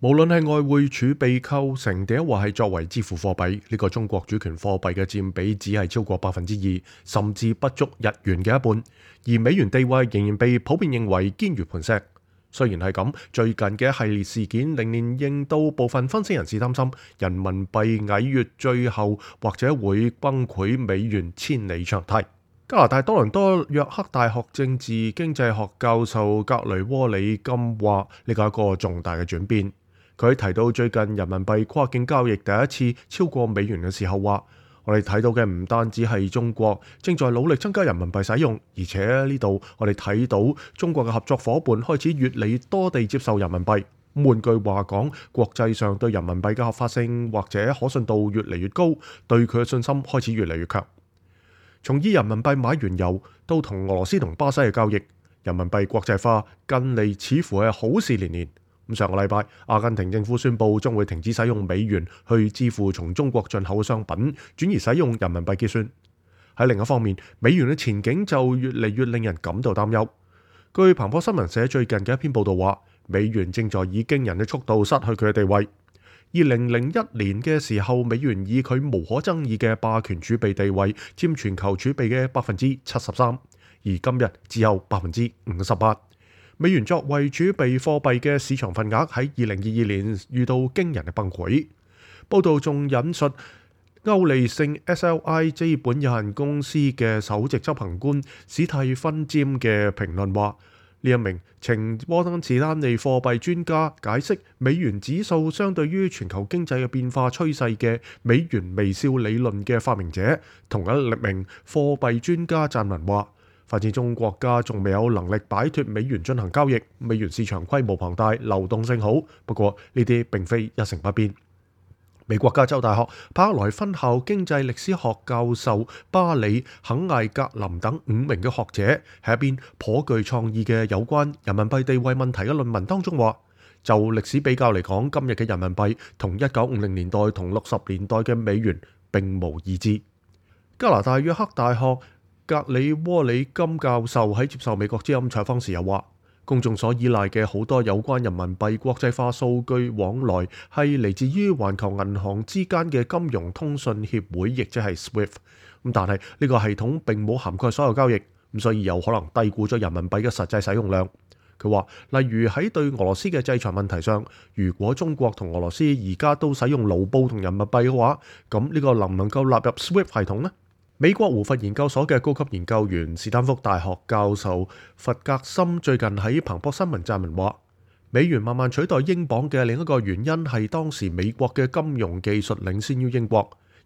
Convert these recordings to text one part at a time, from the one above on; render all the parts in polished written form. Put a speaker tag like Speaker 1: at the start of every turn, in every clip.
Speaker 1: 無論係外匯儲備構成定或係作為支付貨幣，呢個中國主權貨幣嘅佔比只係超過2%，甚至不足日元嘅一半。而美元地位仍然被普遍認為堅如磐石。雖然係咁，最近嘅一系列事件令到部分分析人士擔心人民幣矮月最後或者會崩潰，美元千里長堤。加拿大多倫多約克大學政治經濟學教授格雷窩里金話：呢個係一個重大嘅轉變。佢提到最近人民幣跨境交易第一次超過美元嘅時候話：我哋睇到嘅唔單止係中國正在努力增加人民幣使用，而且呢度我哋睇到中國嘅合作夥伴開始越嚟越多地接受人民幣。換句話講，國際上對人民幣嘅合法性或者可信度越嚟越高，對佢嘅信心開始越嚟越強。從以人民幣買原油到同俄羅斯同巴西嘅交易，人民幣國際化近嚟似乎係好事連連。上個禮拜，阿根廷政府宣布將會停止使用美元去支付從中國進口嘅商品，轉而使用人民幣結算。喺另一方面，美元嘅前景就越嚟越令人感到擔憂。據彭博新聞社最近嘅一篇報道話，美元正在以驚人嘅速度失去佢嘅地位。2001年嘅時候，美元以佢無可爭議嘅霸權儲備地位佔全球儲備嘅73%，而今日只有58%。美元作為儲備貨幣嘅市場份額喺2022年遇到驚人嘅崩潰。報道仲引述歐利勝 SLI 資本有限公司嘅首席執行官史蒂芬詹嘅評論話：呢一名前摩根士丹利貨幣專家解釋美元指數相對於全球經濟嘅變化趨勢嘅美元微笑理論嘅發明者。同一名貨幣專家撰文話：發展中國家仲未有能力擺脫美元進行交易，美元市場規模龐大，流動性好。不過呢啲並非一成不變。美國加州大學柏克萊分校經濟歷史學教授巴里肯艾格林等5名嘅學者喺一篇頗具創意嘅有關人民幣地位問題嘅論文當中話，就歷史比較嚟講，今日嘅人民幣同1950年代同60年代嘅美元並無二致。加拿大約克大學格里窩里金教授喺接受美國之音採訪時又話，公眾所依賴嘅好多有關人民幣國際化數據往來係嚟自於環球銀行之間嘅金融通訊協會，亦即係 SWIFT。但係呢個系統並冇涵蓋所有交易，所以有可能低估咗人民幣嘅實際使用量。佢話，例如喺對俄羅斯嘅制裁問題上，如果中國同俄羅斯而家都使用盧布同人民幣嘅話，咁呢個能唔能夠納入 SWIFT 系統呢？美國胡佛研究所嘅高級研究員斯坦福大學教授弗格森最近喺彭博新聞撰文話，美元慢慢取代英鎊嘅另一個原因係當時美國嘅金融技術領先於英國，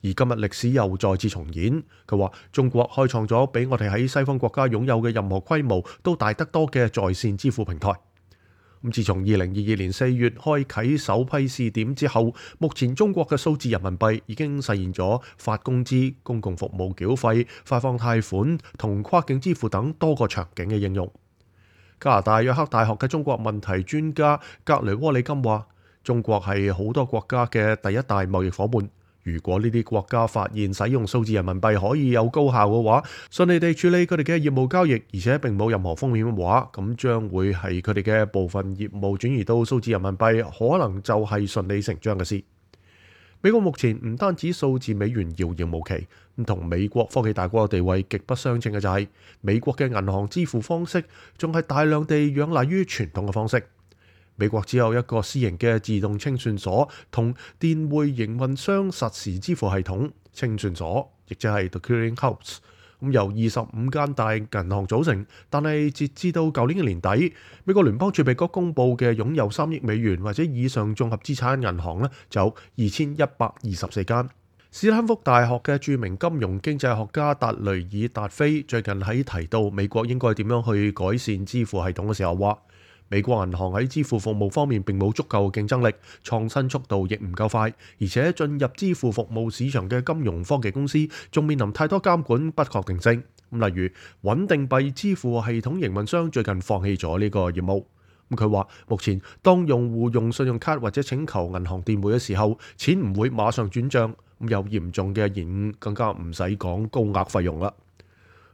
Speaker 1: 而今日歷史又再次重演。佢話中國開創咗比我哋喺西方國家擁有嘅任何規模都大得多嘅在線支付平台。自從2022年4月開啟首批試點之後，目前中國嘅數字人民幣已經實現咗發工資、公共服務繳費、發放貸款同跨境支付等多個場景嘅應用。加拿大約克大學嘅中國問題專家格雷窩里金話：中國係好多國家嘅第一大貿易夥伴。如果呢啲國家發現使用數字人民幣可以有高效嘅話，順利地處理佢哋嘅業務交易，而且並冇任何風險嘅話，咁將會係佢哋嘅部分業務轉移到數字人民幣，可能就係順理成章嘅事。美國目前唔單止數字美元遙遙無期，同美國科技大國嘅地位極不相稱嘅就係美國嘅銀行支付方式仲係大量地仰賴於傳統嘅方式。美國只有一個私營嘅自動清算所同電匯營運商實時支付系統清算所，亦即係 The Clearing House， 由25間大銀行組成。但係截至到舊年嘅年底，美國聯邦儲備局公布嘅擁有3億美元或者以上綜合資產銀行呢，就有2124間。斯坦福大學嘅著名金融經濟學家達雷爾達菲最近喺提到美國應該點樣去改善支付系統嘅時候話，美國銀行喺支付服務方面並冇足夠競爭力，創新速度亦唔夠快，而且進入支付服務市場嘅金融科技公司仲面臨太多監管不確定性。例如穩定幣支付系統營運商最近放棄咗呢個業務。佢話目前當用戶用信用卡或者請求銀行電匯嘅時候，錢唔會馬上轉賬，有嚴重嘅延誤，更加唔使講高額費用啦。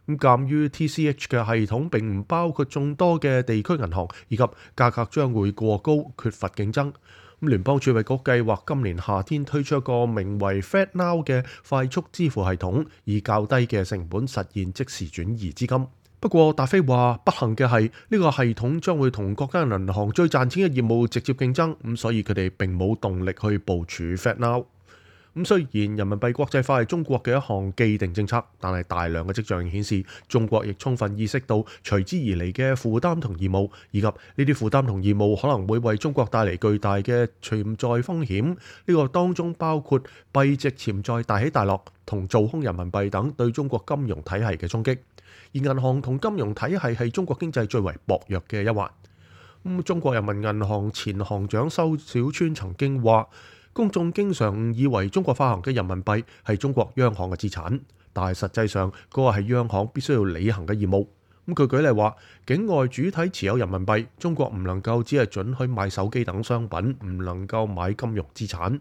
Speaker 1: 鑑於 TCH 嘅系統並唔包括眾多嘅地區銀行，以及價格將會過高，缺乏競爭，聯邦儲備局計劃今年夏天推出一個名為 FedNow 嘅快速支付系統，以較低嘅成本實現即時轉移資金。不過達菲話不幸嘅係呢個系統將會同各間銀行最賺錢嘅業務直接競爭，咁所以佢哋並冇動力去部署 FedNow。咁雖然人民幣國際化係中國嘅一項既定政策，但係大量嘅跡象顯示，中國亦充分意識到隨之而嚟嘅負擔同義務，以及呢啲負擔同義務可能會為中國帶嚟巨大嘅潛在風險。呢個當中包括幣值潛在大起大落同做空人民幣等對中國金融體系嘅衝擊。而銀行同金融體系係中國經濟最為薄弱嘅一環。中國人民銀行前行長周小川曾經話，公眾經常誤以為中國發行嘅人民幣係中國央行嘅資產，但係實際上嗰個係央行必須要履行嘅義務。佢舉例話，境外主體持有人民幣，中國唔能夠只係准許買手機等商品，唔能夠買金融資產。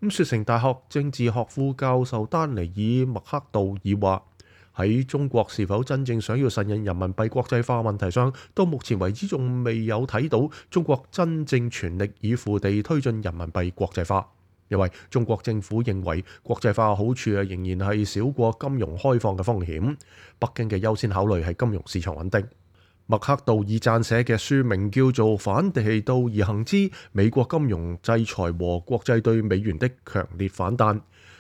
Speaker 1: 雪城大學政治學副教授丹尼爾麥克道爾話，喺中國是否真正想要實現人民幣國際化問題上，到目前為止仲未有睇到中國真正全力以赴地推進人民幣國際化。因為中國政府認為國際化嘅好處仍然係少過金融開放嘅風險。北京嘅優先考慮係金融市場穩定。麥克道爾撰寫嘅書名叫做《反其道而行之：美國金融制裁和國際對美元的強烈反彈》。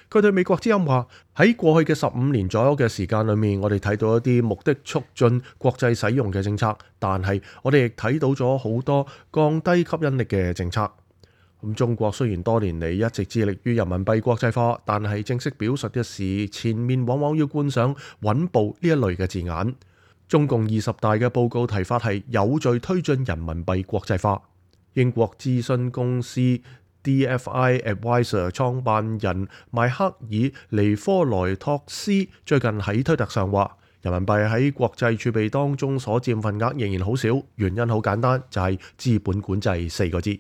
Speaker 1: 佢對美國之音話，喺過去嘅15年左右嘅時間裏面，我哋睇到一啲目的促進國際使用嘅政策，但係我哋亦睇到咗好多降低吸引力嘅政策。中國雖然多年嚟一直致力於人民幣國際化，但係正式表述嘅時，前面往往要冠上穩步呢一類嘅字眼。中共20大嘅報告提法係有序推進人民幣國際化。英國諮詢公司DFI Advisor 創辦人邁克爾尼科萊托斯最近喺推特上話，人民幣喺國際儲備當中所佔份額仍然好少，原因好簡單，就係資本管制4個字。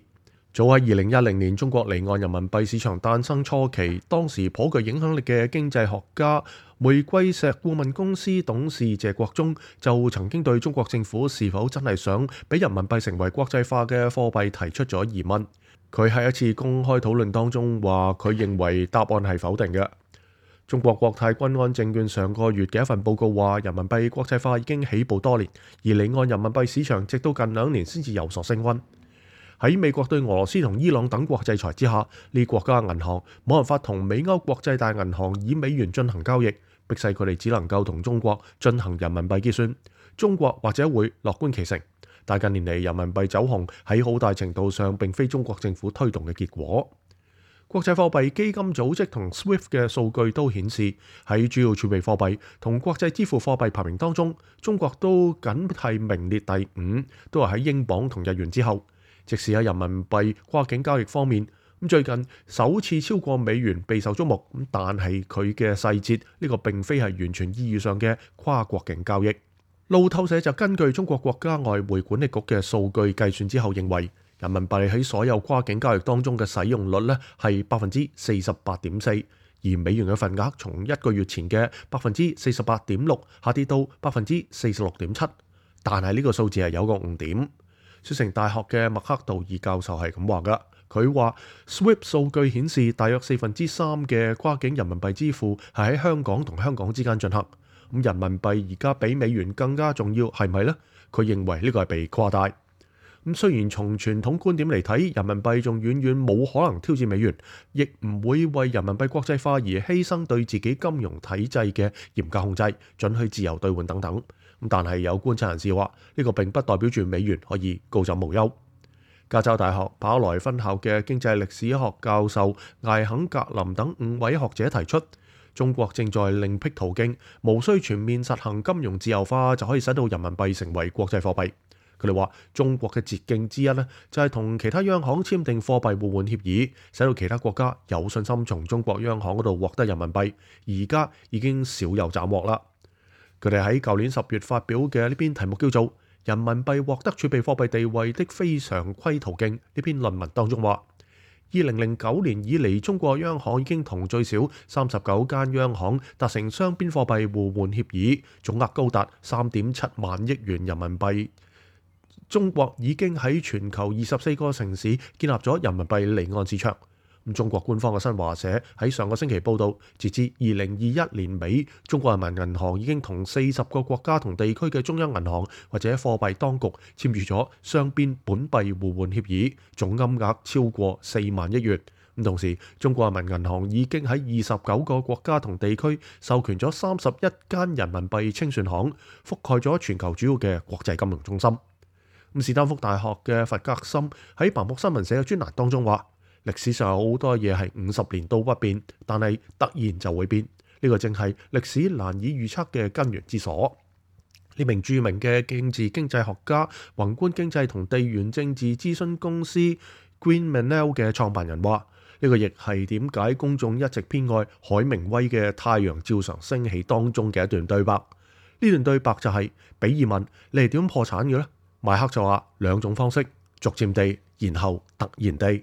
Speaker 1: 早喺2010年，中國離岸人民幣市場誕生初期，當時頗具影響力嘅經濟學家玫瑰石顧問公司董事謝國忠就曾經對中國政府是否真係想俾人民幣成為國際化嘅貨幣提出咗疑問。佢喺一次公開討論當中話，佢認為答案係否定嘅。中國國泰君安證券上個月嘅一份報告話，人民幣國際化已經起步多年，而離岸人民幣市場直到近2年先至有所升溫。喺美國對俄羅斯同伊朗等國制裁之下，呢國家銀行冇辦法同美歐國際大銀行以美元進行交易，迫使佢哋只能夠同中國進行人民幣結算。中國或者會樂觀其成，但近年嚟人民幣走紅喺好大程度上並非中國政府推動嘅結果。國際貨幣基金組織同 SWIFT 嘅數據都顯示，喺主要儲備貨幣同國際支付貨幣排名當中，中國都僅係名列第5，都係喺英鎊同日元之後。即使喺人民幣跨境交易方面，最近首次超過美元備受矚目，但係佢嘅細節呢個並非係完全意義上嘅跨國境交易。路透社就根據中國國家外匯管理局嘅數據計算之後認為，人民幣喺所有跨境交易當中嘅使用率呢係48.4%，而美元嘅份額從1個月前嘅48.6%下跌到46.7%，但係呢個數字係有個誤點。雪城大學嘅麥克道爾教授係咁話㗎，佢話 SWIFT 數據顯示大約3/4嘅跨境人民幣支付係喺香港同香港之間進行。人民幣而家比美元更加重要，係咪呢？佢認為呢個係被誇大。雖然從傳統觀點嚟睇，人民幣仲遠遠冇可能挑戰美元，亦唔會為人民幣國際化而犧牲對自己金融體制嘅嚴格控制、准許自由兌換等等。但係有觀察人士話，呢個並不代表住美元可以高枕無憂。加州大學跑來分校嘅經濟歷史學教授艾肯格林等5位學者提出，中國正在另闢途徑，無需全面實行金融自由化就可以使到人民幣成為國際貨幣。佢哋話，中國嘅捷徑之一呢，就係同其他央行簽訂貨幣互換協議，使到其他國家有信心從中國央行嗰度獲得人民幣。而家已經少有斬獲啦。佢哋喺舊年10月發表嘅呢篇題目叫做《人民幣獲得儲備貨幣地位的非常規途徑》呢篇論文當中話，2009年以嚟，中國央行已經同最少39間央行達成雙邊貨幣互換協議，總額高達3.7萬億元人民幣。中國已經喺全球24個城市建立咗人民幣離岸市場。中國官方嘅新華社喺上個星期報道，截至2021年尾，中國人民銀行已經同40個國家同地區嘅中央銀行或者貨幣當局簽署咗雙邊本幣互換協議，總金額超過4萬億元。同時，中國人民銀行已經喺29個國家同地區授權咗31間人民幣清算行，覆蓋咗全球主要嘅國際金融中心。史丹福大學嘅弗格森喺彭博新聞社嘅專欄當中話，歷史上有好多嘢係50年都不變，但係突然就會變。呢個正係歷史難以預測嘅根源之所。呢名著名嘅政治經濟學家、宏觀經濟同地緣政治諮詢公司 Green Manel 嘅創辦人話，呢個亦係點解公眾一直偏愛海明威嘅《太陽照常升起》當中嘅一段對白。呢段對白就係，比爾問你係點破產嘅呢？邁克就話2種方式，逐漸地，然後突然地。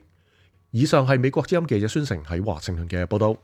Speaker 1: 以上係美國之音記者孫成喺華盛頓嘅報道。